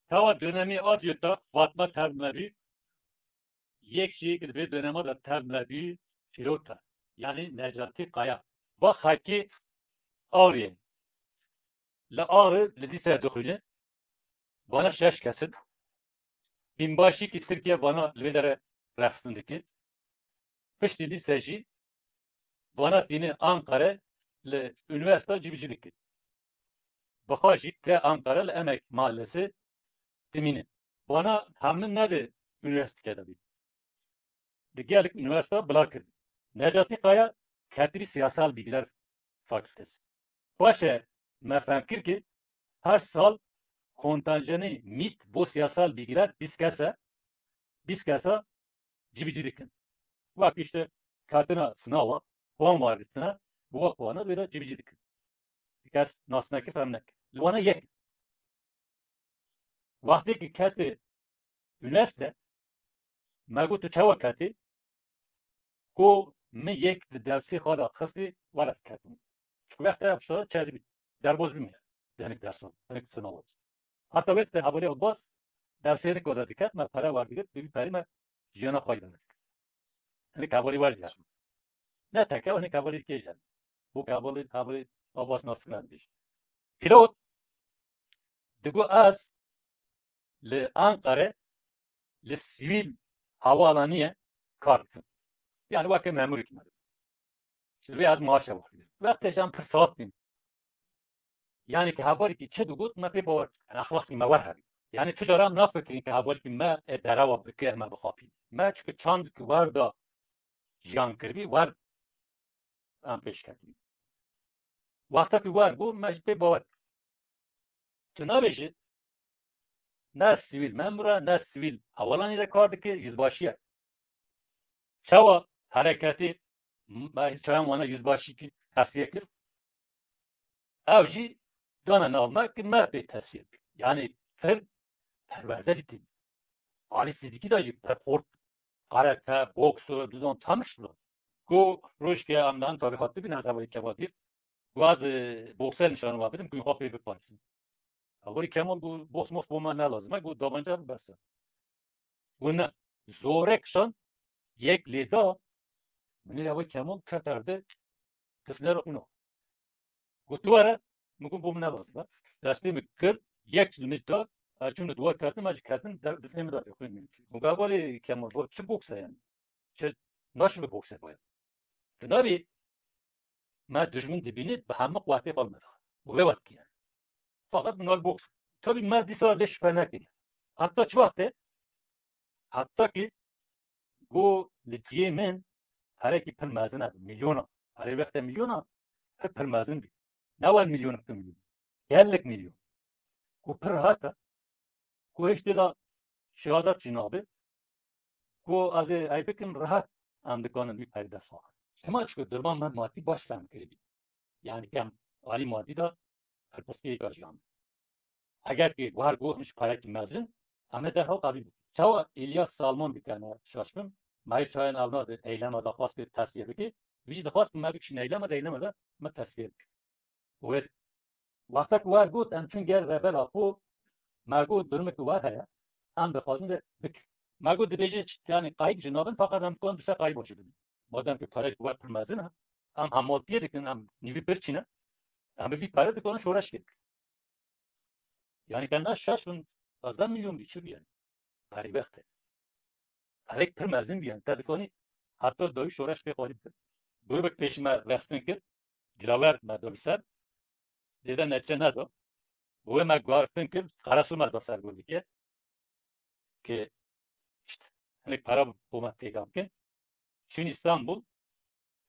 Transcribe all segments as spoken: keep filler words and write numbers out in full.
Çawa dönemê Adyota Fatma tev me bî, yek jî ki di vê dönema de tev me bî, pîlot e. Yanî Necatî Kaya. Va xelkê Arê. Li Arê li dîse dixwîne. Vana şeş kes in. Bînbaşî ki Tirkiye vana li vê dere rexstin dike. Piştî lîse jî vana tîne Ankara li unîversîta cîbicî dike. Bi xwe jî ke Ankara li Emek Mahallesi dimîne. Vana hemû ne di unîversîteke de bî. Di gelek unîversîta bila kir. Necatî Kaya ketibî Siyasal Bilgiler Fakültesi. Paşê me fehm kir ki her sal kontenjanê mît bo siyasal bilgiler bîst kes e, bîst kesa cîbicî dikin. Wek işte katina sinawa, puan werditine, bi wek puana wê de cîbicî dikin. Kes nas neke, fehm neke. Li wana yek. Wextê ki ketê unîversîte, me got tu çawa ketî? Ku min yek di dersê xwe de xistî, were ez ketim. Çiku wextê ev şara çêdibî, derbas bîme. Denik dersan, denik sinawa. Heta wextê hevalê Abbas dersê nik were diket, me pere werdigirt, bi vî perî me jiyana xwe îdare dikir. Hinek hevalê wer jî. Ne teke, hinek hevalê dikê jî. Bu hevalê, hevalê Abbas Nasir dibêje. Pîlot digo ez li Ankara li sivîl havaalaniyê kar dikim. Yani weke memurek me. Ji vê ez maaşe werdim. Wextê jî em pir sax bîn. Yani ki hevalekî çi digot, me pê bawer dikin. Exlaqî me wer hebî. Yani tu cara em nafikirin ki hevalekî me ê derewa bike, me bixapîne. Me çike çandekî wer da jiyan kiribî, wer em pêş ketibî. Wexta ku wer bû, me ji pê bawer kir. Tu nabêjî, ne sivîl memur e, ne sivîl hevalanî de kar dike, yüzbaşî ye. Çawa hereketê me çayan wana yüzbaşî ki tesfiye kir? Ew jî dane nav me ki me pê tesfiye kir. Yani pir perwerde dîtin. Alî fîzîkî de jî pir xort. Karate, boksu, dizon tam şilo. Ku rojke em dan tarîxat bibîn ez hevalî Kemal dîr. Ku ez, e, bokse nişan wa bidim, ku xwe pê biparêzin. Hevalî Kemal ku boks moks bo me ne lazim e, ku dabanca bibese. Ku ne, zorek şan, yek lê da, min ê hevalî Kemal ket erde, tifne re xwîna. Got, "Tu were." Min got, "Bo min ne lazim e." Destê min kir, yek ji min da, ez çûm li dua ketim, ez jî ketim, de-, difnê min da jî xwîn min. Min got, "Hevalê Kemal, bo çi bokse yani? Çi naşibe bokse bo ya?" Di navê me dijmin dibîne, bi hemû quwetê xwe li me dixe. Û vê wet dikiye. Feqet min got, "Boks." Tabî me dîsa lê şüphe nekiriye. Heta çi wextê? Heta ki got li cihê min perekî pir mezin e, milyona. Erê wextê milyona pir, pir mezin bî. Ne wer milyon, iki milyon. Gelek milyon. Ku pir rehet e. Ku hiç tê de şehadet jî nabe. Ku ez ê ey bikim rehet em dikanin wî perî dest xwe. Çima? Çiku durma me madî baş fehm kiribî. Yani kem alî madî de her piskeyê jiyan. Eger ki war got, hemî ji parekî mezin, em ê derhal qebîl bikin. Çawa Îlyas Salman bikene şaş bin, me yê çayan ew nade eyleme daxwaz kir tesfiye bike, vî jî dixwaz ki me bikişin eyleme de, eyleme de me tesfiye bike. Wê wexta ku war got, em çûn gel Rebel Apo, me got, durumê ku war heye, em dixwazin de bik. Me got, dibêje çi, yani qayît jî nabin, feqet em dikarin du sê qayît başî bidin. Madem ki parek war pir mezin e, em hemaltiyê dikin, em nîvî birçî ne, em bi vî pere dikarin şoreş kir. Yani te ne şaş bin, pazdeh milyon bî, çi bî yani? Perî wextê. Perek pir mezin bî yani. Te dikanî heta dawî şoreş pê xwarî bikir. Grûbek pêş me rexstin kir. Dilawer me da li ser. Zêde neçe neda. Wê me guhartin kir. Qeresu me da ser grûbekê. Ki işte, hinek para bo me peyda bikin. Çûn Îstanbul,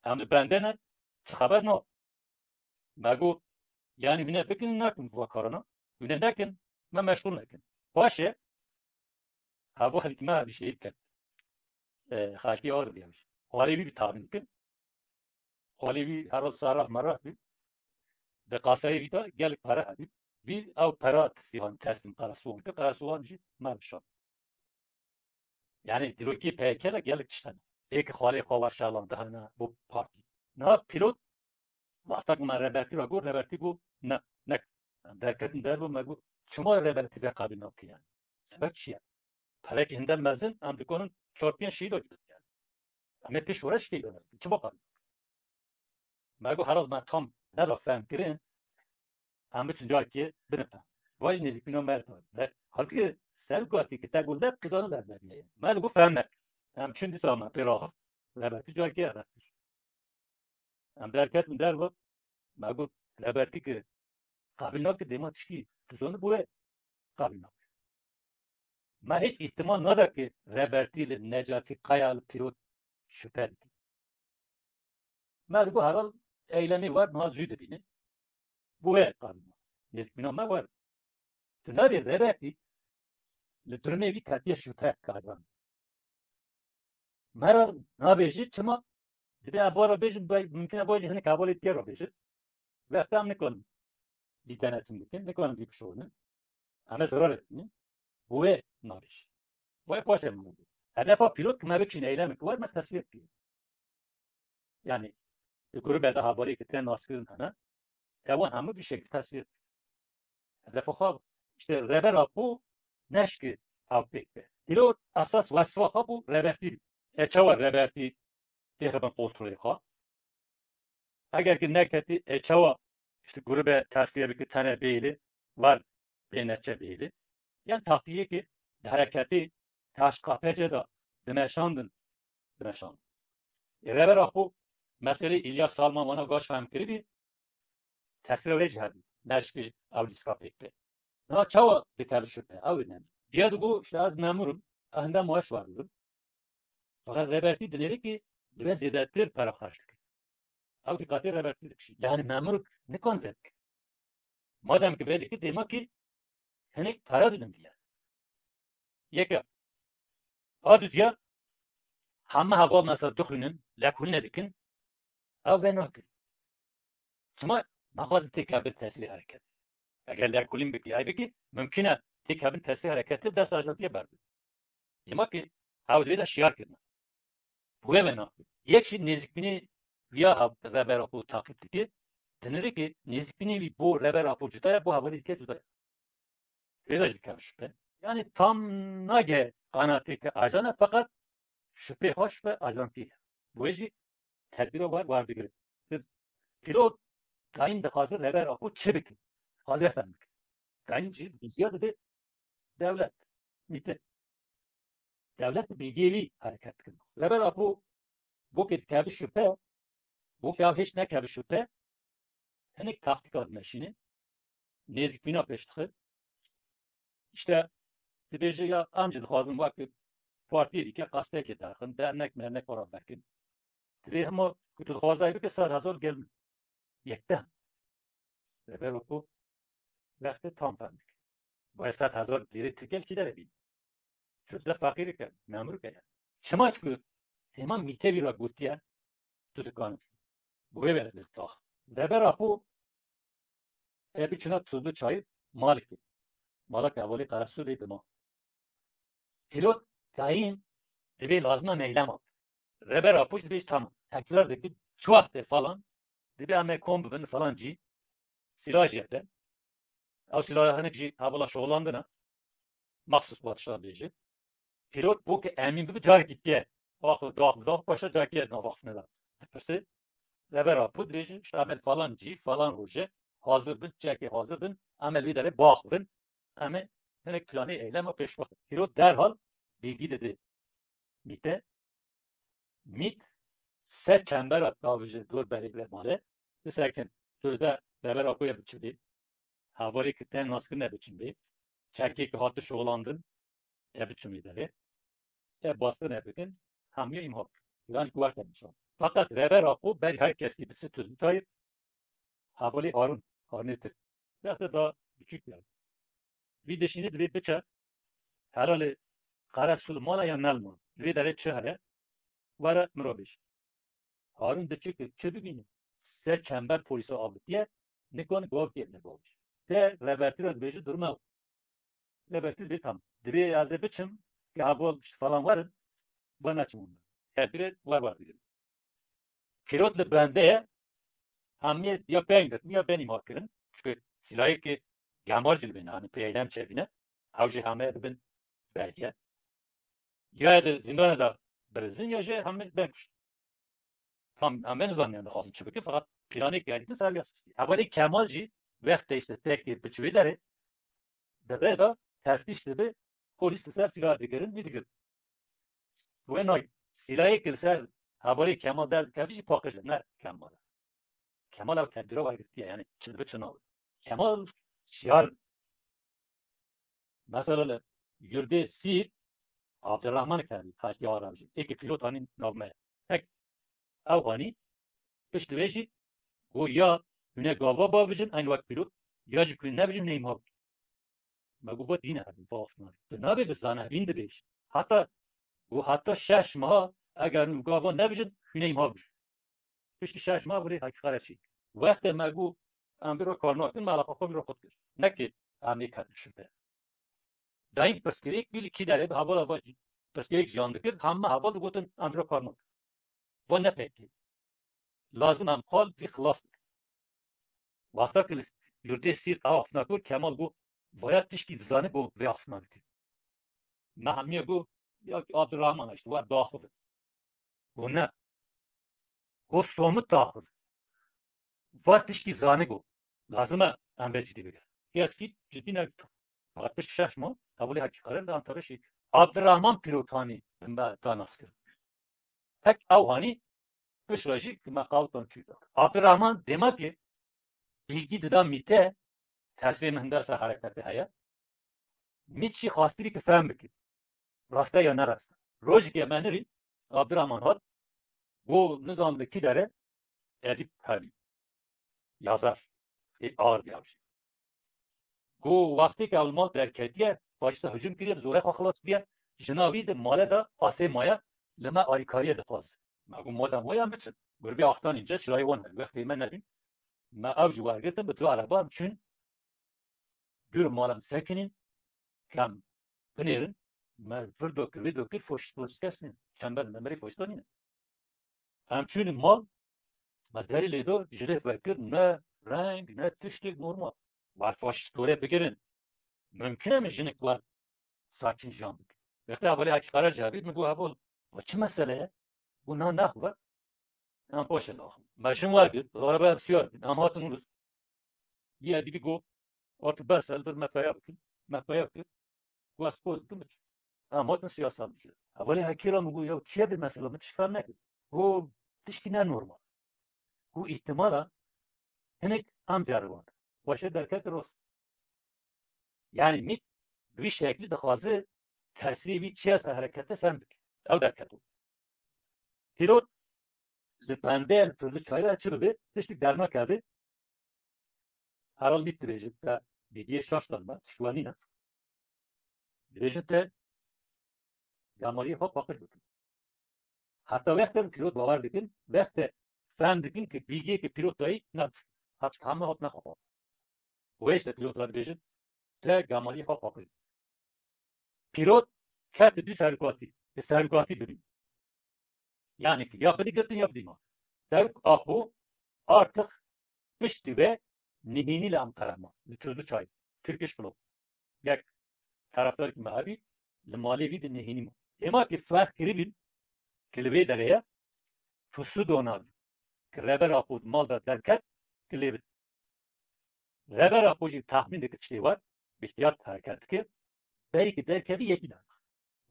em li bende ne, çi xeber no. Me got, yani hûn ê bikin, nekin va karana. Hûn ê nekin, me meşxul nekin. Paşê, hevû xelkî me hevî şehîd ket. E, xelkî Arabî hevî. Xalê wî bi tabîn dikin. Xalê wî herod saraf meraf bî. Di qaseyê wî de gelek pere hebî. Wî ew pera tesîvan, teslim Qeresowan kir. Qeresowan jî me bişand. Yani dîrokê P Y K de gelek tişt hene. Ê ki xalê xwe wa şalan dihane bo partî. Niha pîlot wexta ku me Rebertî ve got, Rebertî got, ne, nek. Em derketin derve, me got, çima rêbertî vê qebîl nake yani? Sebeb çi ye? Perekî hinde mezin, em dikarin çar pênc şehîd bidin yani. Em ê pêş were şehîd bibin. Çima qebîl nake? Me got, herhalde me tam neda fehm kirin, em biçin carekê bidin fehm. Vay jî nêzîkbîna me re. Ve halbuki ser got ki te got ne, qîzana ber beriye. Me li got fehm neke. Em çin dîsa me pê raxist. Rêbertî carekê eve kir. Em derketin derve, me got, rêbertî ki qebîl nake, dema tişkî tu zanî bo wê qebîl nake. Me hiç îhtimal neda ki rêbertî li Necatî Kaya, li Pîrot şüphe dike. Me digot, herhal eylemê wer niha zû dibînin. Bo wê qebîl nake. Nêzîkbîna me wer. Tu nabê rêbertî li durumê wî ketiye şüphe kariban. Me re nabêjî çima? Dibê ev vara bêjin, be-, mumkin e vajî hinek hevalê tê re bêjin. Wexta em nikarin vî denetim bikin, nikarin vî bişorînin. Em ê zirarê bibînin. Bo wê nabêjî. Wê paşê min bû. Hedefa Pîrot ki me biçîn eylemek wer me teswîr bikî. Yani, di grûbê de hevalê ki tên naskirin hene. Ewan hemû bir şekil teswîr. Hedefa xwe, işte, Rêber Apo neşki ew pêk be. Pîrot esas wesfa xwe bû rêbertî. E çawa rêbertî têxibin kontrolê xwe? Eger ki neketî, e çawa, işte, grûbê teswîr bike tenê bêlî, wer bê neçe bêlî. Yan taktîkê ki di hereketê T H K P C de dimeşandin, dimeşandin. E, Rêber Apo meselê Îlyas Salman wana gaş fehm kiribî, teswîra wê jî hebî. Neşkî ew lîstika pêk be. Na çawa dikeve şüphe? Ew ne. Ya digo, işte, ez memur im, ez hinde maaş werdibim. Fakat rêbertî dinêre ki divê zêdetir para xerc dike. Ew diqatê rêbertî dikişî. Yani memur nikan vê bike. Madem ki vê dike, dema ki hinek para didin diye. Yeke. A dudiya, heme heval mesela dixwînin, lêkolîne dikin, ew vê nakin. Çima naxwazin têkevin tesîrê hereket? Eger lêkolîn bikî, ay bikî, mumkin e têkevin tesîrê hereket li dest ajantiyê berdin. Dema ki ew divê de şiyar kirine. Wê me nakin. Yek jî nêzîkbînî ya Rêber Apo taqîb dike. Dinêre ki nêzîkbînî wî bo Rêber Apo cuda ye, bo hevalê dike cuda ye. Vê de jî dikeve şüphe. Yani tam nage qanatê ke ajan e, feqet şüphe xwe şüphe ajantî ye. Bo wê jî tedbîra wer werdigire. Pîrot dayîn dixwaze Rêber Apo çi bike? Dixwaze fehm bike. Dayîn jî bilgiya dide dewlet, mîte. Dewlet bi bilgiyê wî hereket dikin. Rêber Apo bo ke dikeve şüphe, bo ke ew hêç nekeve şüphe, hinek taktîka dimeşîne. Nêzîkbîna pêş dixe. İşte dibêje ya em jî dixwazin wek partiyê dike qastekê derxin, dernek mernek ora vekin. Dibê hema ku tu dixwazayî bike sed hezar gel min. Yekte. Rêber Apo wextê tam fehm dike. Vay sed hezar lîrê Tirkiyê li kî derê bî? Çi de feqîrike, memurke yani. Çima? Çikû hema mîte wî re gotiye, tu dikanî. Bi wê were dest dax. Rêber Apo e biçina Tuzlu Çayır, malekê. Malek hevalê Qeresulê dima. Pîrot dayîn dibê lazima meylema. Rêber Apo jî dibê tamam. Tekrar dike, çi wextê falan, dibê em ê kom bibin falan cî. Sîlah jî hebe. Ew sîlaha hinek jî hevala şoxlandine. Maxsus padişah bêje. Pîrot bo ke emîn bibe carekî diye. Axir dax bi dax paşa carekî navaxifine de. Pirsê Rêber Apo dibêje, işte em ê falan cî, falan roje hazir bin, çekê hazir bin, em ê li vî derê baxivin, em ê hinek planê eylema pêş bixin. Pîrot derhal bilgi dide mîte. Mît se çembera davêje dor berê ve male. Disekin, sözde Rêber Apoyê biçin bê. Hevalê ki tên naskirine biçin bê. Çekê ki hati şolandin, e biçin bê derê. E baskı ne bikin? Hamiye imha. Yani kuvvet nişan. Fakat Rêber Apo berî her kes ki disi Tuzlu Çayır, hevalê Harun, Harunê Tirk. Wextê da küçük yani. Vî dişînî dibê biçe, herhalê Qeresul mala ya nel mal. Vê derê çi heye? Were min re bêje. Harun diçe ki çi bibîne? Se çember polîsa avitiye, nikon gov kê ne gov. Te Rêbertî re dibêje durum ew. Rêbertî dibê tam. Dibê ez ê biçim, ki heval işte falan werin, ba neçim ondan. Tedbirê wer wer digirin. Pîrot li bende ye, hemiyê ya peng dikin, ya benî ma kirin. Çünkü Kemal jî li bîne, hani P Y D em çêbîne, ew jî heme dibin belge. Ya di zîndanê de birizin ya jî heme bên kuştin. Tam em nizaniyan dixwazin çi bikin, feqet planê gelî ser ya sistî. Hevalê Kemal jî wextê işte tekê bi çivê derê, di rê de teftîş dibe, polîs li ser sîlah digirin, wî digirin. Wê nayê. Sîlayê ki li ser hevalê Kemal derdikevî jî paqij e, ne Kemal e. Kemal ew tedbîra wergirtiye, yani çi dibe çi nabe. Kemal şiyar. Mesela li Yurdê Sîr, Abdurrahman Kerî, Taşkî Arabjî, êkî pîlot anî nav me. Hek ew anî pişt wê jî got ya hûn ê gava bavijin, eyn wek pîlot, ya jî ku nebijin neyma bû. Me got, va dîne hebî, va afnan. Tu nabê bi zanebîn dibêj. Heta, got, heta şeş meha eger hûn gava nebijin, hûn ê ma bir. Piştî şeş mah virê heqîqet çî. Wextê me got, em vî ro kar nakin, me eleqa xwe vî ro xwe dikir. Ne ki em nêketin şibe. Dayîn pirsgirêk bî li kî derê bi hevala va jî. Pirsgirêk jiyan dikir, hemû heval digotin, em vî ro kar nakin. Va ne pekê. Lazim em xal vî xilas dikin. Wexta ki li Yurdê Sîr ew afna kir, Kemal got, vaya tişkî dizane got vê afna dike. Me hemiye got, ya ki Abdurrahman işte, wer daxive. Got ne. Got somit daxive. Va tişkî zane got. Lazim e em vê cidî bigirin. Keskî cidî negirtin. Fakat pişt şeş mah, hevalê Hekî Qerer li Antalya şî. Abdurrahman Pîrotanî bi me da nas kirin. Hek ew hanî piştre jî ki me qawtan çû da. Abdurrahman dema ki bilgî dida mîte, tesrê min hindasa herekete heye. Mît jî xwastî bî ki fehm bike. Raste ya ne raste. Rojekê me nirî, Abdurrahman hat, got nizam li kî dere, Edîb hebî. Yazar. Ê ağır bir yavşi. Got wextê ke ew li mal derketiye, faşîsta hicûm kiriye, bi zorê xwe xilas kiriye, jina wî di male de asê maye, li me alîkariyê dixwaz. Me got madem waya biçin. Gurbê axtanî ce çirayê wan hebî, wextê me nebîn. Me ew ji wergirtin bi du ereba em çûn dûr mala em sekinîn, kem binêrin, me vir dokir, vê dokir, faşîst, faşîst kes nîn. Çember li me berê faşîsta nîne. Em çûn mal, me derî lê do, ji lê vekir, ne reng, ne tiştek normal. War faşîst tore bigirin. Mümkün e min jinik war sakin jan bikin. Wextê hevalê Hekî Qerer cevabî min got, heval, va çi mesele ye? Got na naxve. Em paşê naxin. Me jin wergirt, araba em siyar bin, em hatin Rûs. Yê Edîbî got, artık bes e, li vir me peya bikin. Me peya kir. Got ez poz dikim biçim. Em hatin siyasa bikin. Hevalê Hekî re min got, ya çi ye vê mesela, min tişt fem nekir. Got tişkî ne normal. Got îhtimala hinek em ceriband. Xweşe derket rost. Yani mît bi vî şeklî dixwaze tesrî wî çi ye ser herekete fem bike. Ew derketo. Pîlot li bendê li Tuzlu Çayê çi bibe, tiştik dernakeve. Herhal mît dibêje, te bîdiyê şaş dan me, tişt we nîne. Dibêje te gemaliyê xwe paqij bikin. Heta wextê pîlot bawer dikin, wextê fem dikin ki bîgiyê ki pîlot dayî ne hat heme hat nexapa. Wê işte pîlot re dibêjin, te gemaliyê xwe paqij. Pîlot ket du serokatî, bi serokatî bibî. Yani ki ya bidî girtin ya bidî ma. Serok Apo artık piştî ve nihînî li Ankara ma, li Tuzlu Çay, Turkish Club. Yek tarafdar ki me hebî, li malê vî di nihînî ma. Hêma ki ferq kiribîn, ki li vê derê ye, pusu donabî. Ki Reber Apo di mal de derket, ki lê bit. Reber Apo jî tahmîn dike tiştê war, bi ihtiyat hereket dike, berî ki derkevî yekî derna.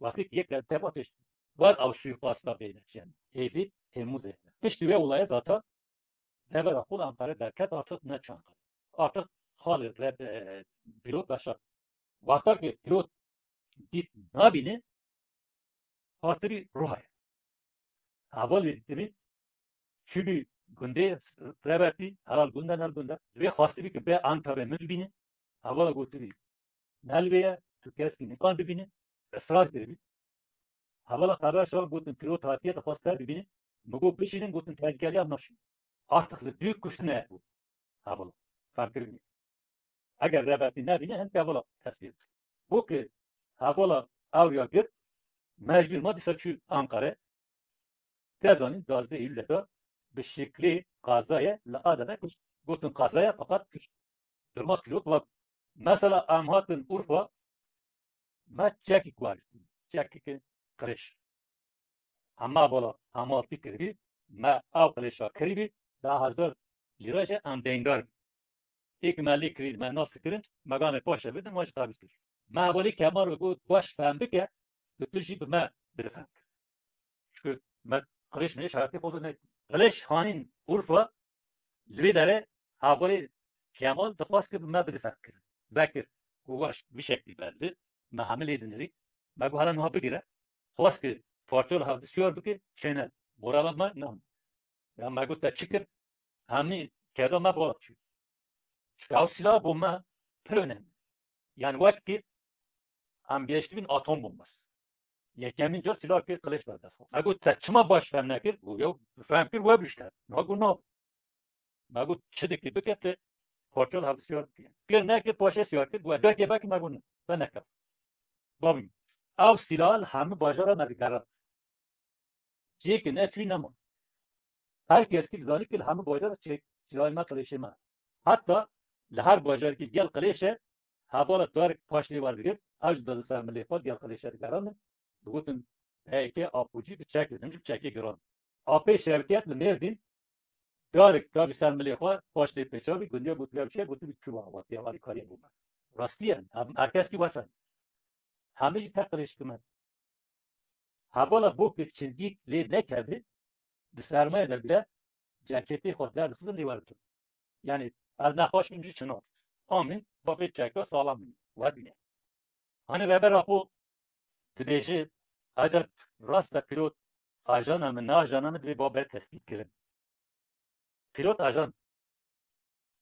Wextê ki yek derkeva tişt, war ew suîkasta bêne, yani hêvî hêmû zêde. Piştî wê olaya zaten Reber Apo li Ankara derket, artık ne çanka. Artık xalê re, e, pîlot veşart. Wexta ki pîlot dît nabîne, hatibî ruhayê. Hevalê dibî, çûbî gundê Rebertî, herhal gund e, ne gund e. Divê xwestibî ki bê Ankarê min bibîne. Hevala gotibî, ne li vê ye, tu keskî nikan bibîne. Israr kiribî. Hevala xeber şa gotin, pîlot hatiye, dixwest te bibîne. Mi got, bişînin, gotin, tehlikeliya naşîn. Artık li dû kuştine bû. Hevala. Ferq kiribî. Eger Rebertî nebîne, hin hevala tesbîr. Bo ki hevala ewriya girt, mecbûr ma dîsa çû Ankara. Te zanîn, duwazdeh Eylûlê de bi şeklê qazayê li Adana kuşt. Gotin qazaya, feqet kuşt. Durma pîlot wa Mesela em hatin Urfa, me çekî guherîstin, çekî ki qirêş. Hema vala hemaltî kiribî, me ew qirêşa kiribî, da hezar lîra jî em deyndar bin. Êk me lê kirî, me nas kirin, me ganê paşe bidin, me ji xebit kir. Me hevalî Kemal ve got, baş fehm bike, tu tu jî bi me bide fehm kir. Çünkü me qirêş mirêş hayatê xwe de ne. Qirêş hanîn Urfa, li vê derê hevalê Kemal dixwast ki bi me bide fehm kirin. Vekir, ku baş, bi şeklî belli, me hemî lê dinirî, me got, hela niha bigire, xwest ki parça li hevdisiyar bike, çêne, morala me, ne. Ya me got, te çi kir? Hemî keda me vala çi. Çünkü ew silah bo me pir önemli. Yani wek ki em gêştibîn atom bombası. Yekemîn car silah kir qilêş berdest xwe. Me got, te çima baş fehm nekir? Got, yew fehm kir we bişte. Me got, na. Me got, çi dikî bike, te parça li hevdisiyar bike. Kir nekir, paşê siyar kir, got, derkê vekî, me got, ne. Te nekir. Babî, ew silah li hemî bajara me digerand. Cihê ki neçûyî nema. Her kes ki dizanî ki li hemî bajar çek silahê me, qilêşê me. Heta li her bajarekî gel qilêşe, hevala darek paş lê werdigir, ew jî didin ser milê xwe, gel qilêşe digerandin. Digotin, P Y K, Apo cî bi çek didin, bi çekê giran. Apê Şevket li Mêrdîn, darek dabî ser milê xwe, paş lê pêça bî, gundiya gotiya bi çek, gotibi çû va, va, tiya va, kariye bû. Rastî ye, her, her kes ki wefen. Hemî jî tek qilêş kimin. Hevala bo ku çizgîk lê nekeve, di sermayê de bile ceketê xwe derdixistin lê werdikin. Yani ez nexweş bim jî çino. Amîn, bavê çeka salam bî, werdine. Hani Rêber Apo dibêje, eceb rast e pîlot ajana min, ne ajana min, divê ba be tespît kirin. Pîlot ajan.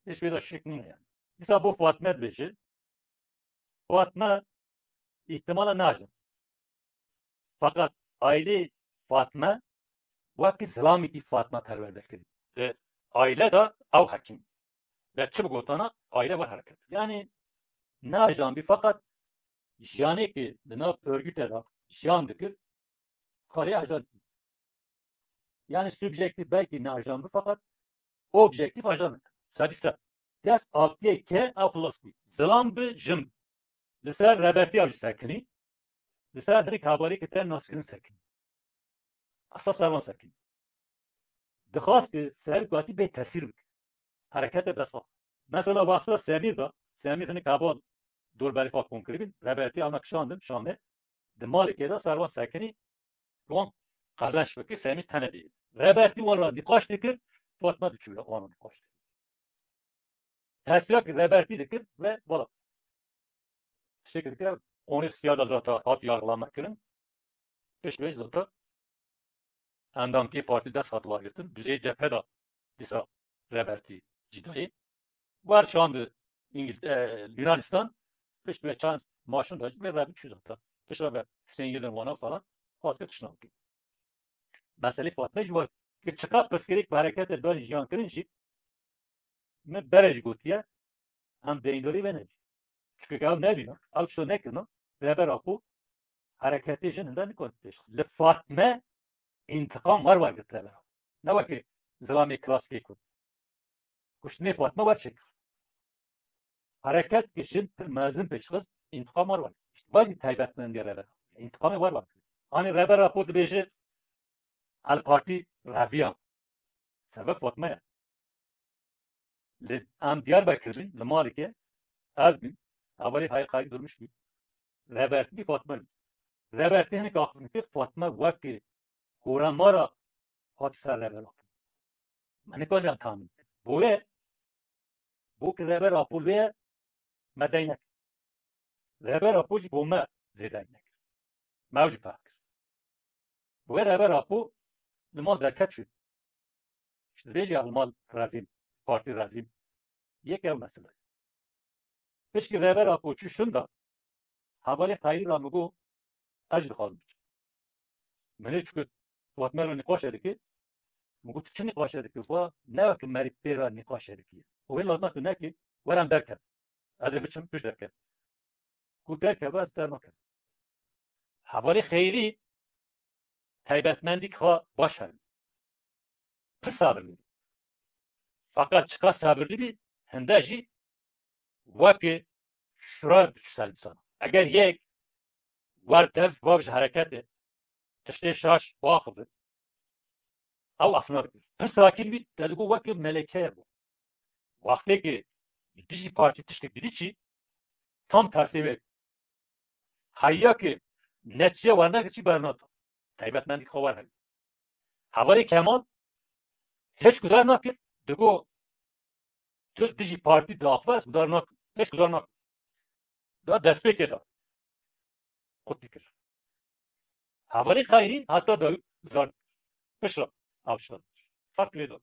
Hiç wê de şik nîne yani. Dîsa bo Fatme dibêje. Fatme îhtimala naje. Fakat ailê Fatme wekî zilamekî Fatme perwerde kirî. Di aile de ew hekîm. Ve çi bigotana aile ve hereket. Yani najan bî fakat jiyanê ki di nav örgüte de jiyan dikir, karê ajan. Yani subjektif belkî ne ajan bi, fakat objektif ajan e. Sedî sed. Dest avtiyê ke ew xilas bî. Zilam bi, jin bi. Li ser Rebertiya jî sekinî. Li ser hinek hevalê ki te naskirin sekinî. Esas servan sekinî. Dixwast ki serokatî bê tesîr bike. Herekete dest xwe. Mesela wexta Semîr de, Semîr hinek heval dorberî xwe kom kiribîn, Rebertî ana kişandin Şamê, di malekê de servan sekinî, wan qezenç bike, Semîr tene bî. Rebertî wan ra nîqaş dikir, Fatma diçû wan ra nîqaş dikir. Tesîra ki Rebertî dikir ve bala. Tiştekî dikir, onê siya de zata hat yargılama kirin. Pişt vê zata endamtiyê partî dest hat wergirtin. Duzê cephe de dîsa Rebertî cîdayê. Wer şandi İngil-, e, Yunanistan, pişt ve çand maşin de ve Rebertî çû zata. Pişt ve Hüseyin Yıldırım wana falan, xwest kir tişt nake. Meselê Fatme jî var ki çiqas pirsgirêk bi hereketê dayîn jiyan kirin jî, min berê jî gotiye, em deyndorî vê nebî. Çunke ew nebîna, ew tişta nekirina, Rêber Apo hereketê jin hinde nikare pêş. Li Fatme întiqam wer wergirt Rêber Apo. Ne weke zilamê klasîkê ku kuştinê Fatme wer çêkir. Hereket ki jin pir mezin pêş xist, întiqam wer wergirt. Îşte vajî taybetmendiya Rêber Apo. Întiqamê wer wergirt. Hani Rêber Apo dibêje, El Partî reviya. Sebeb Fatme ye. Li em Diyarbekir bin, li malike, ez bin, hevalê Hayî Qayî Durmuş bin. Rebertî Fatme bin. Rebertî hinek axiftin kir, Fatme wekî koramara hat ser Rêber Apo. Me nikariya tahmin. Boye, bo ki Rêber Apo lê me deyn nekir. Rêber Apo jî bo me zêdeyn nekir. Me ew jî peh kir. Boye Rêber Apo li mal derket çû. Îşte dibêje ya li mal revîm, partî revîm. Yek ev mesele. Pişkî Rêber Apo çû şinda, hevalê Xeyrî ra min got, ez jî dixwazim biçim. Min ê çikut, Fatme re nîqaşe dike, min got, tu çi nîqaşe dike? Va, ne weke merî pê re nîqaşe dike. Û wê lazima tu nekî, were em derkevin. Ez ê biçim, tu jî derkevî. Ku derkeve, ez dernakem. Hevalê Xeyrî taybetmendîk xwe baş hebî. Pir sabirlî bî. Feqet çiqas sabirlî bî, hinde jî wekî şura diçû ser însan. Eger yek wer dev, wer ji hereketê tiştê şaş biaxive, ew efna dikir. Pir sakîn bî, te digot weke melekeye bû. Wextê ki li dijî partî tiştek didî çi, tam tersê wê. Heya ki netîce wernekir çi bernata. Taybetmendî xwe werhevî. Hevalê Kemal hêç guhdar nakir, digot tu dijî partî diaxive, ez guhdar nakim. Hêç guhdar nakim. Da destpêkê de qut dikir. Hevalê Xeyrî heta dawî guhdar dikir. Piştre avşta dikir. Ferq lê da.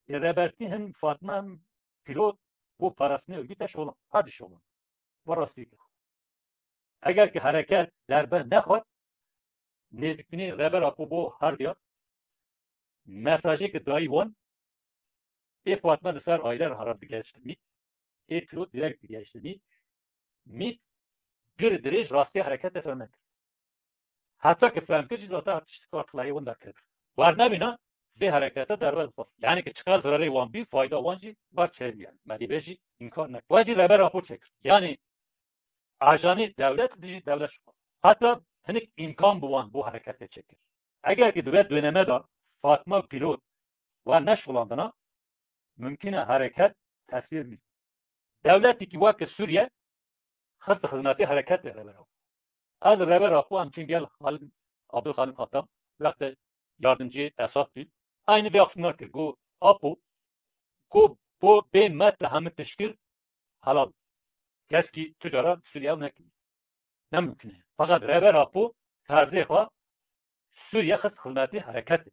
Rêbertî hem Fatma hem Pîlot bo parastinê örgüt de şolan. Hadi şolan. Ve rastî kir. Eger ki hereket derbe nexwet, nêzikbînê Rêber Apo bo herdiya, mesajê ki dayî wan, ê Fatma li ser aile re hera digeştimî, ê Pîlot direkt digeştimî, mî gir dirêj rastî herekete fehme kir. Heta ki fehm kir jî zaten tişt kartlayê wan derket. Wer nebîna vê herekete derbe dixwar. Yani ki çiqas zirarê wan bî, fayda wan jî ber çêbî yani. Me dî vê jî înkar nekir. Wer jî Rêber Apo çêkir. Yani ajanê dewlet dijî dewlet şixwar. Heta hinek îmkan bi wan bo hereketê çêkir. Eger ki di vê döneme de Fatma Pîlot wan neşixulandina, mumkin e hereket tesvîr bî. Dewletekî weke Sûriye xist xizmetê hereketê Rêber Apo. Ez Rêber Apo em çin gel Xalid, Abdulxalid Xatam, wextê yardimcî Esad bî. Aynî vê axiftina kir, got, Apo, ku bo bê me te hemî tişt kir, helal. Keskî tu cara Sûriye nekir. Ne mumkin e. Feqet Rêber Apo terzê xwe Sûriye xist xizmetê hereketê.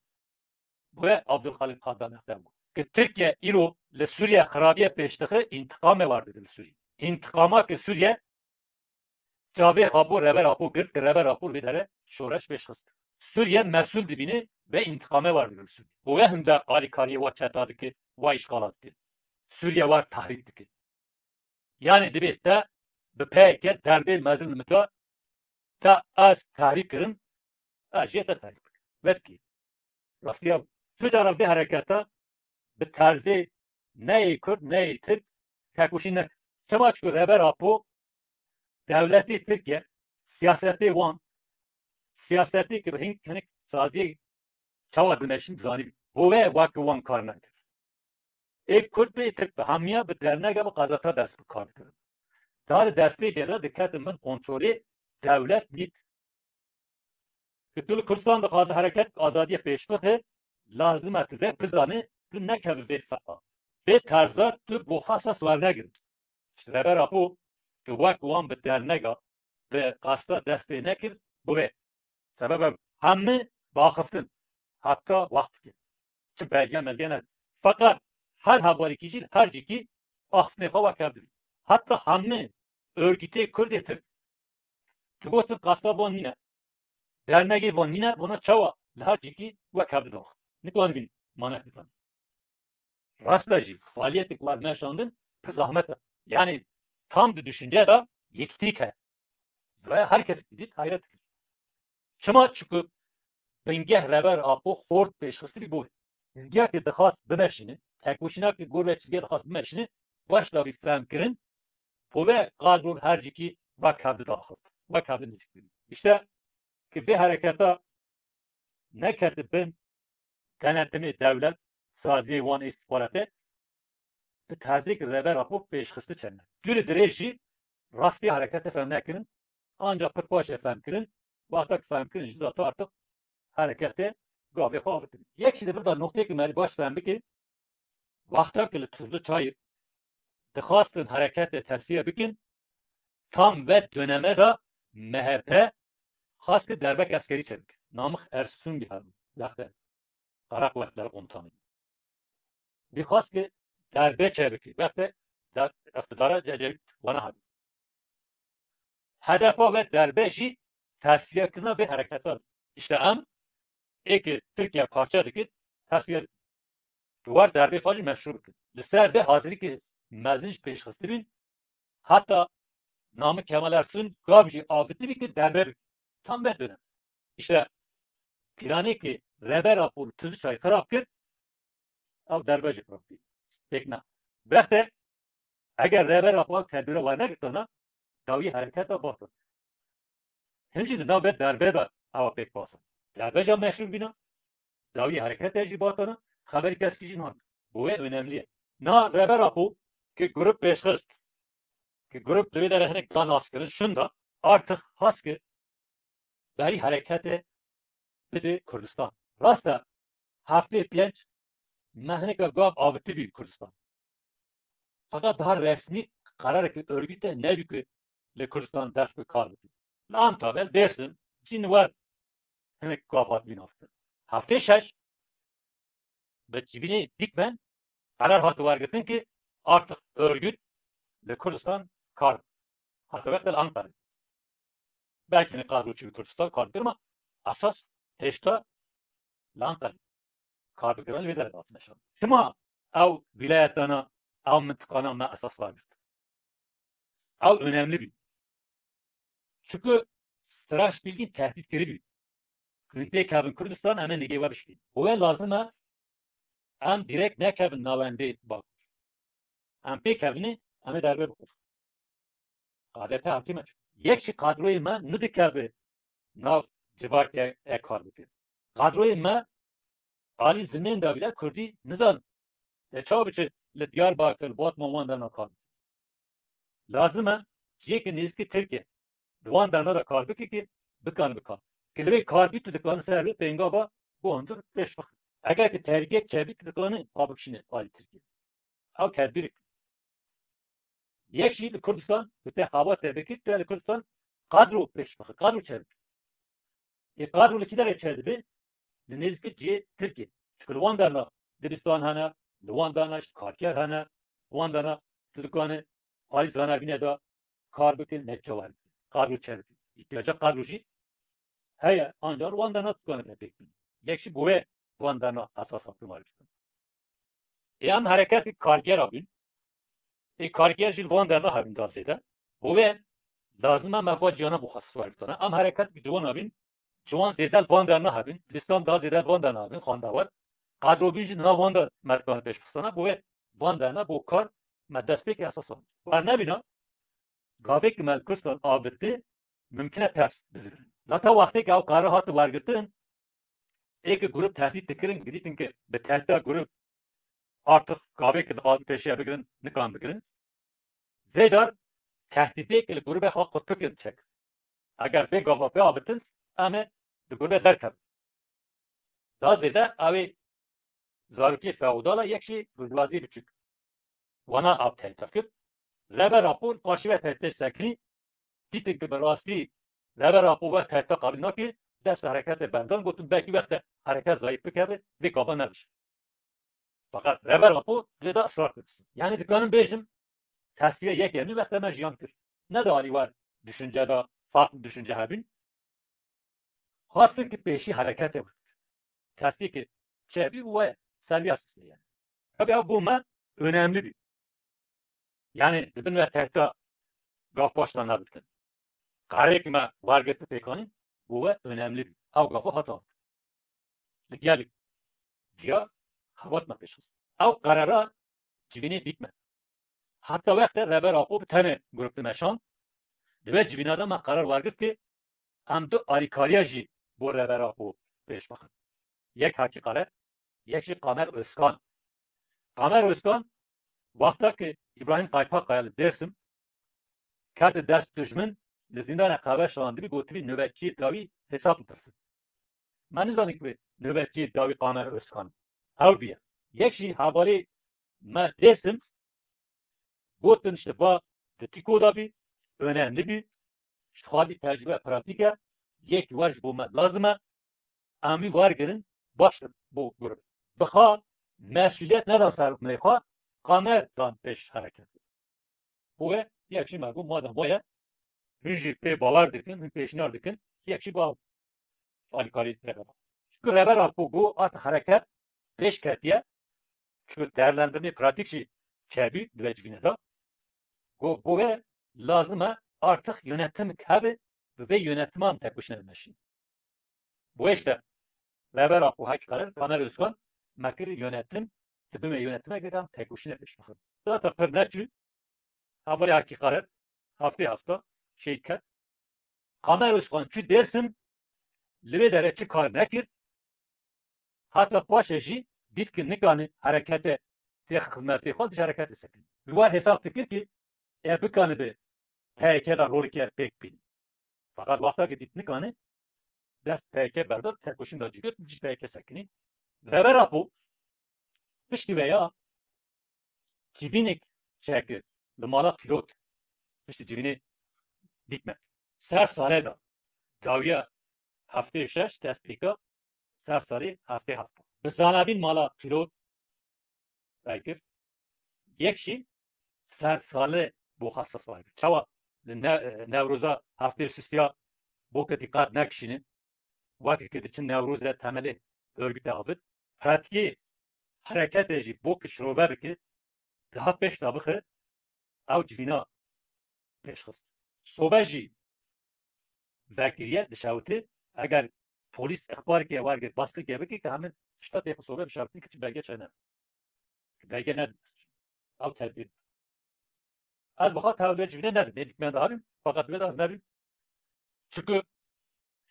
Bo wê Abdulxalid Xatam wextê got, ki Tirkiye îro li Sûriye xirabiyê pêş dixe, întiqamê war dide li Sûriye. Întiqama ki Sûriye çavê xwe bo Rêber Apo girt, ki Rêber Apo vê dere şoreş pêş xist. Sûriye mesûl dibîne ve întiqamê war dide li Sûriye. Bo wê hinde alîkariyê wa çeta dike, wa îşxala dike. Sûriye war tehrîb dike. Yani dibê te bi P Y K derbê mezin li min de, te ez tehrîb kirim, ez jê te tehrîb bikim. Vedikî. Rastiya tu cara vê hereketa bi terzê neyê Kurd, neyê Tirk tekoşîn nekir. Çima? Çku Rêber Apo dewletê Tirkiye, siyasetê wan, siyasetê ki bi hin hinek saziyê çawa dimeşin zanî. Bo wê wek wan kar nekir. Ê Kurd bê, Tirk bi hemiya bi dernege bi qazeta dest bi kar dikirin. Daha di destpêkê de diketin bin kontrolê dewlet nît. Ki tu li Kurdistan dixwaze hereket azadiyê pêş bixe, lazim e tu vê bizanî, tu nekevî vê feqa. Vê terza tu bo xwe esas wernegir. Ji Rêber Apo ki wek wan bi dernega, bi qasta dest pê nekir, bû vê. Sebeb ev hemî biaxiftin. Heta wext dike. Çi belge melge ne. Feqet her hevalekî jî li her cîkî axiftinê xwe wekev dibî. Heta hemî örgütê Kurdê Tirk. Tu gotin qasta van nîne. Dernegê van nîne, vana çawa li her cîkî wekev dida. Nikarin bîn, manek nikarin. Rast e jî, faaliyetê ku me meşandin, pir zahmet e. Yani tam di düşünce de yekîtîk heye. Ziraya her kes dît hayret dikir. Çima? Çiku bingeh Rêber Apo xort pêşxistibî bo wê. Bingeh ki dixwast bimeşîne, tekoşîna ki gor ve çizgê dixwast bimeşîne, baş dabî fehm kirin, bo ve qadro her cîkî wek hev dida axiftin, wek hev nêzîk dibî. İşte ki vê hereketa nekete bin denetimê dewlet, saziyê wan ê îstixbaratê, bi terzêk Rêber Apo pêşxiste çêne. Tu li dirêj jî rastî hereketê fehm nekirin, ancak pir paşê fehm kirin, wexta ki fehm kirin jî zaten artık hereketê gavê xwe avêtin. Yek jî di vir de noqteyek me baş fehm bike, wexta ki li Tuzlu Çayir dixwastin hereketê tesfiye bikin, tam ve döneme de M H P xwest ki derbek eskerî çêbike. Namık Ersun bî hebû, wextê Kara Kuvvetler Komutanı. Bî xwest ki derbe çêbike, wextê der-, iqtidara Ecevît wana hebû. Hedefa ve derbe jî tesfiyekirina vê hereketa. İşte em ê ki Tirkiye parçe dike, tesfiye di war derbê xwe jî meşrû bikin. Li ser vê hazirîkê mezin jî pêşxistibîn, heta Namık Kemal Ersun gav jî avitibî ki derbe bikin. Tam vê dönem. İşte planê ki Rêber Apo li Tuzluçay xirab kir, ew derbe jî xirab kir. Pêk ne. Wextê Eger Rêber Apo ew tedbîra wernegirtana, dawî hereketa batin. Him jî di nav vê derbê de ewa pêk basin. Derbeja meşhûr bîna, dawî hereketa jî batana, xeberî keskî jî nan. Bo wê önemli ye. Na Rêber Apo ki grup pêşxist, ki grup li wê derê hinek da naskirin, şinda, artık has ki berî hereketê bide Kurdistan. Rast e, heftê pênc me hineka gav avitibî Kurdistan. Fakat daha resmî qerareke örgüte nebî ku li Kurdistan dest bi kar bike. Li Antalya, li Dêrsim, cîn wer hinek gav hatibî nafikirin. Heftê şeş bi civînê dîkmen qerar hati wergirtin ki artık örgüt li Kurdistan kar bike. Hata wextê li Ankara. Belkî ne kadro çi bi Kurdistan kar dikir, ma esas hêşta li Ankara kar bikirin, li vê derê hatine şan. Çima ew wîlayetana, ew mintiqana me esas wergirt? Ew önemli bî. Çunku straş bilgî tehdît kiribî. Hûn pêkevin Kurdistan, em ê nigê we bişkîn. Bo wê lazim e em direkt nekevin navendê Bakur. Em pêkevin ê, em ê derbê bixin. K D P hakîm e. Yek jî kadroyê me nidikeve nav civakê e kar bike. Kadroyê me alî zimên de bile Kurdî nizan. E, çawa biçe li Diyarbakir, Batman, wan derna kar bike? Lazim e cihê ki nêzîkî Tirkiye di wan derna de kar bike ki bikan bikan. Ki li wê kar bî tu dikane ser wê pêngava guhandir pêş bixin. Eger ki tehlîkeyek çêbî tu dikane pa bikişîne alî Tirkiye. Ew tedbîrek. Yek jî li Kurdistan, tu te xebat te bikî, tu li Kurdistan kadro pêş bixî, kadro çêbikî. Ê kadro li kî derê çêdibe? Li nêzîkî cihê Tirkiyê. Çunku li wan derna dibistan hene, li wan derna ji karker hene, li wan derna tu dikane alî zanabîne de kar bike, netîce were. Kadro çêbikî. Îhtiyaca kadro jî heye, ancak li wan derna tu dikane pêk bîne. Yek jî bo wê wan derna esas hatin wergirtin. Ê em hereketê kargera bûn. Ê karger jî li van derna hebin da zêde. Bo wê lazim e me va ciyana bo xwe siwar bikana. Em hereketê ciwan hebin, ciwan zêde li van derna hebin. Dibistan da zêde li van derna hebin, xwendawar. Qadrobîn jî di nav van de me dikane pêş bixistana. Bo wê van derna bo kar me destpêkê esas hebin. Wer nebîna, gavê ki me li Kurdistan avitî, mimkun e ters bizirin. Zaten wextê ki ew karar hati wergirtin, ê ki grup tehdît dikirin, girîtin ki bi tehdîta grup artık gavê ki dixwazin pêşiya bigirin, nikan bigirin. Vê car tehdîtê ki li grubê xwe qut bikin çek. Eger vê gava biavitin, em ê di grubê derkevin. Da zêde ew ê zarokê feodal e, yek jî burjwazî biçûk. Wana ev tehdîta kir. Rêber Apo li qarşî ve tehdîtê sekinî, dîtin ki bi rastî Rêber Apo ve tehdîta qabîl nake, dest hereketê berdan, gotin belkî wexte hereket zayîf bikeve, vê gava nebije. Fakat Rêber Apo lê de israr kir. Yani dikanim bêjim, tesfiye yekemî wexte me jiyan kir. Ne de alî wer düşünce de farklı düşünce hebin. Xwestin ki pêşî hereketê we. Tesbîkê çêbî û we seviya sisê yani. Tabii ev bo me önemli bî. Yani dibin we tehdîta gav paş de nebitin. Karê ki me wergirti pêkanîn bo we önemli bî. Ew gafa hata. Li gelek ciya xebat me pêş xist. Ew karara civînê dît me. Heta wextê Rêber Apo bi tenê grup dimeşand, di vê civîna de me qerar wergirt ki em du alîkariya jî bo Rêber Apo pêş bixin. Yek Hakî Kare, yek jî Kamer Özkan. Kamer Özkan, wexta ki Îbrahîm Kaypakkaya li Dêrsim kete dest dijmin, li zîndana Qeber şandibî, gotibî nöbetçiyê dawî hesab bitirsin. Me nizanî ku nöbetçiyê dawî Kamer Özkan ew bîye. Yek jî hevalê me Dêrsim gotin, işte va di tîko de bî, önemli bî, ji xwe bî tecrübe pratik e, yek wer ji bo me lazim e, em wî wergirin, baş e bo grup. Bi xwe mesuliyet nedan ser milê xwe, Kamer dan pêş hereket. Bo wê yek jî me got, madem waye, hûn jî pê bawer dikin, hûn pêşniyar dikin, yek jî ba alîkarî Rêber Apo. Çunku Rêber Apo got, artık hereket pêş ketiye. Çunku değerlendirmê pratik jî çêbî di vê civînê de. Got, bo wê lazim e artık yönetim hebe, bi vê yönetim em tekoşîne bimeşîn. Bo wê işte Rêber Apo, Hakî Kare, Kamer Özkan me kir yönetim, dibime yönetime gerek em tekoşîne pêş bixin. Zaten pir neçû, Hevalê Hakî Karer, heftê hefta şehîd ket. Kamer Ozkan çû Dêrsim, li wê derê çi kar nekir, heta paşê jî dît ki nikane herekete tê xizmetê xwe, dij hereketê sekin. Li war hesab dikir ki e bikane bi P Y K de roleke pêk bîn. Feqet wexta ki dît nikane, dest P Y K berda, tekoşîn da cigir, dij P Y K sekinî. Rêber Apo piştî vê ya civînek çêkir li mala pîlot. Piştî civînê dîtme. Ser salê de dawiya heftê û şeş dest pê ka ser salê heftê heft. Bi zanabîn mala pîlot vekir. Yek jî ser salê bo xwe esas vekir. Çawa li ne-, Newroza heftê û sîstiya bo ke dîqat nekişînin, wekî ke diçin Newrozê temelê örgütê avêt, pratîkê hereketê jî bo ke şirove bike, daha pêş de bixe, ew civîna pêş xist. Sobe jî vekiriye, dişewite, eger polîs ixbareke wergir, baskike bike, ke hemin tişta tê xwe sobe bişewtin, ke çi belge çêne. Belge nedin. Ew tedbîr. Ez bi xwe tev vê civînê nebim. Ê dikmen de hebim, feqet wê de ez nebim. Çunku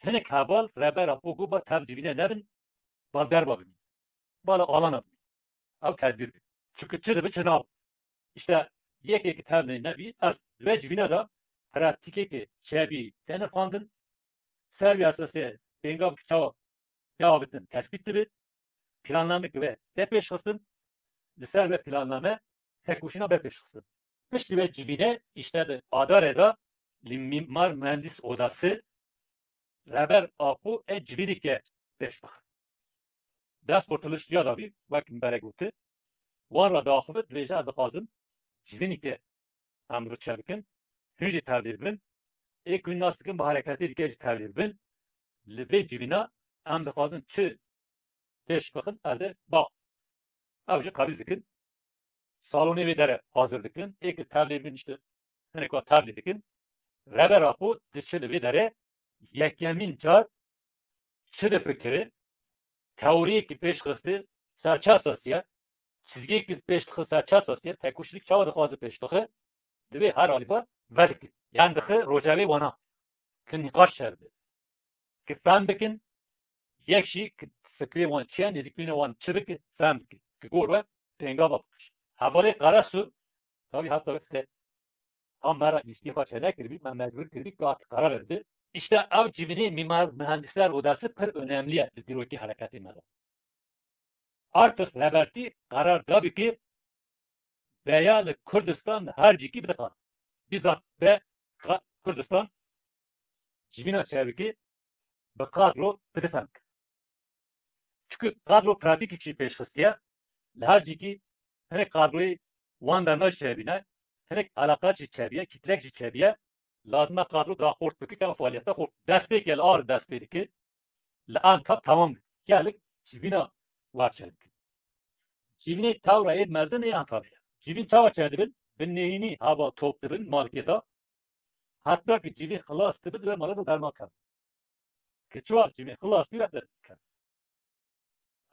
hinek heval Rêber Apo got ba tev civînê nebin, bal derva bimîn. Bala alana bimîn. Ew tedbîr bî. Çunku çi dibi çi nab. Îşte yekê ki tev ney nebî, ez li vê civîne de pratîkeke çêbî têne fandin. Ser wî esasê pêngav ki çawa tê avêtin tespît dibe. Planname ki ve tê pêşxistin. Li ser ve planname tekoşîna ve pêşxistin. Piştî ve civîne îşte di Adarê de li Mimar Mühendis Odası Rêber Apo ê civînike pêş bixin. Dest Kurtuluş ya da bî, wek min berê gote, wan re diaxivit, dibêje ez dixwazim civînike em li vir çêbikin, hûn jî tevlî bibin, ê ku hûn nas dikin bi hereketê dike jî tevlî bibin, li vê civîna em dixwazin çi pêş bixin, ez ê ba. Ew jî qebîl dikin. Salonê wê derê hazir dikin. Ê ki tevlî bin, işte, hinek wa tevlî dikin. Rêber Apo diçe li vê derê yekemîn car çi difikire, teoriyekî pêş xiste ser çi esasî ye, çizgiyekî pêş dixe ser çi esasî ye, tekoşînek çawa dixwaze pêş bixe, li vê her alî ve vedike. Yan dixe rojevê wana ki nîqaş çêbibe. Ki fehm bikin, yek jî ki fikrê wan çi ye, nêzîkbûna wan çi bi ki fehm bikin. Ki gor we pêngava bixişin. Hevalê Karasu, tabii hatta işte tam me re ilişkiyê xwe çênekiribî, me mecbûr kiribî ki artık karar verdi. İşte ew civînê Mimar Mühendisler Odası pir önemli ye li dîrokê hereketê me de. Artık Rêbertî qerar dabî ki veya li Kurdistan her cîkî bide qad. Bizzat be qa-, Kurdistan civîna çêbikî bi kadro bide fem kir. Çünkü kadro pratîkî jî pêş xistiye. Li her cîkî hinek kadroyê wan derna jî çêbîne, hinek eleqat jî çêbiye, kîtlek jî çêbiye. Lazim e kadro daha xurt bike, ke faaliyete xurt. Dest pê ke li ar dest pê dike, li Antep tamam dike. Gelek civîna war çêdike. Civînê tewra ê mezin ê Antalya'ya. Civîn çawa çêdibin? Bi nehînî hava top dibin malkê de. Hatta ki civîn xilas dibe, dibe mala de derman kevin. Ki çawa civîn xilas bî, re derman kevin.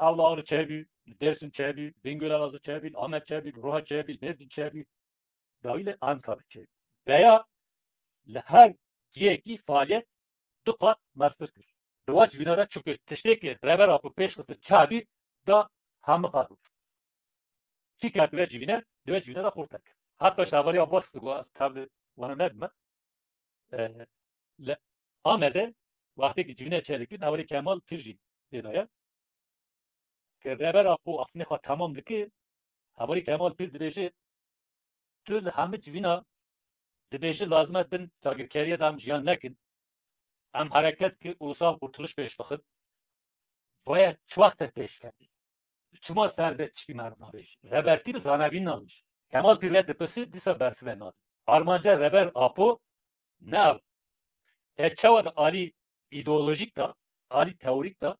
Ew li Arê çêbî, li Dêrsim çêbî, Bingöl Elazığ çêbî, li Amed çêbî, li Roha çêbî, li Mêrdîn çêbî, dawî li Ankara çêbî. Veya li her cihekî faaliyet du qat meztir kir. Di wa civîna de çunku tiştê ki Rêber Apo pêş xistin çabî da hemû qat bû. Kî ket di vê civîne, di vê civîne de xurt kir. Heta şavarî Abbas digo, ez tevli wana nebime. E, li Amedê wextê ki civîne çêdikin, hevalê Kemal Pîr jî tê de ye. Ke Rêber Apo axiftinê xwe temam dike, hevalê Kemal Pîr dibêje, tu li hemû civîna dibêje lazim e bin dagirkeriye de em jiyan nekin. Em hereket ki ulusal kurtuluş pêş bixin. Vaya çi wext e pêş ketî? Çima ser vê tişkî meriv nabêjî? Rêbertî bi zanebîn nabêjî. Kemal Pîr vê dipirse dîsa bersive nade. Armanca Rêber Apo ne ev. E çawa di alî îdeolojîk de, alî teorîk de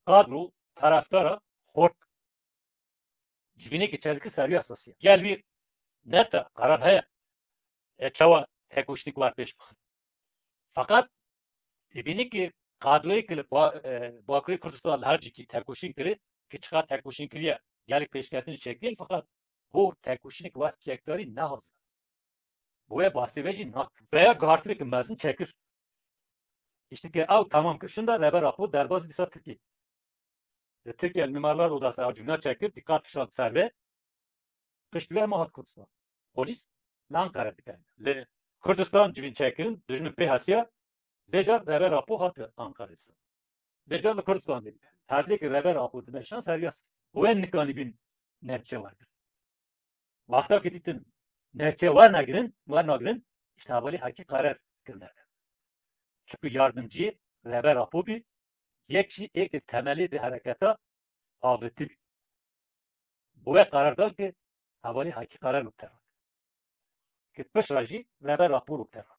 kadro, tarafdara xort. Civînê ki çêdike ser wî esasî ye. Gel wî ne te qerar heye. E çawa tekoşînek war pêş bixin. Feqet dibînî ki kadroyê ki li ba-, e, Bakurê Kurdistan li her cîkî tekoşîn kirî, ki çiqas tekoşîn kiriye, gelek pêşketin çêkiriye, feqet bo tekoşînek war çekdarî ne hazir. Bi wê bahsê ve jî nak. Veya guhartineke mezin çekir. Îşte ke ew tamam kir, şinda Reber Apo derbazî dîsa Tirkiyê. Li Tirkiye li Mimarlar Odası ew cumle çekir, dîqat kişand ser vê. Pişt vê hema hat Kurdistan. Polîs li Ankara dikevin. Li Kurdistan civîn çekirin, dijmin pê hesiya, vê car Reber Apo hati Ankara'yê. Vê car li Kurdistan dikevin. Hezê ki Reber Apo dimeşan ser ya. Wê nikanî bin nehçe wergirin. Wexta ki dîtin nehçe wernegirin, wernagirin, işte hevalî Hekî Karer kirine. Çünkü yardımcı Reber Apo bî, yek jî êk temelê di hereketa avêtî bî. Bi wê qerar dan ki hevalî Hekî Karer û teror. Ki pişra jî Reber Apo û teror.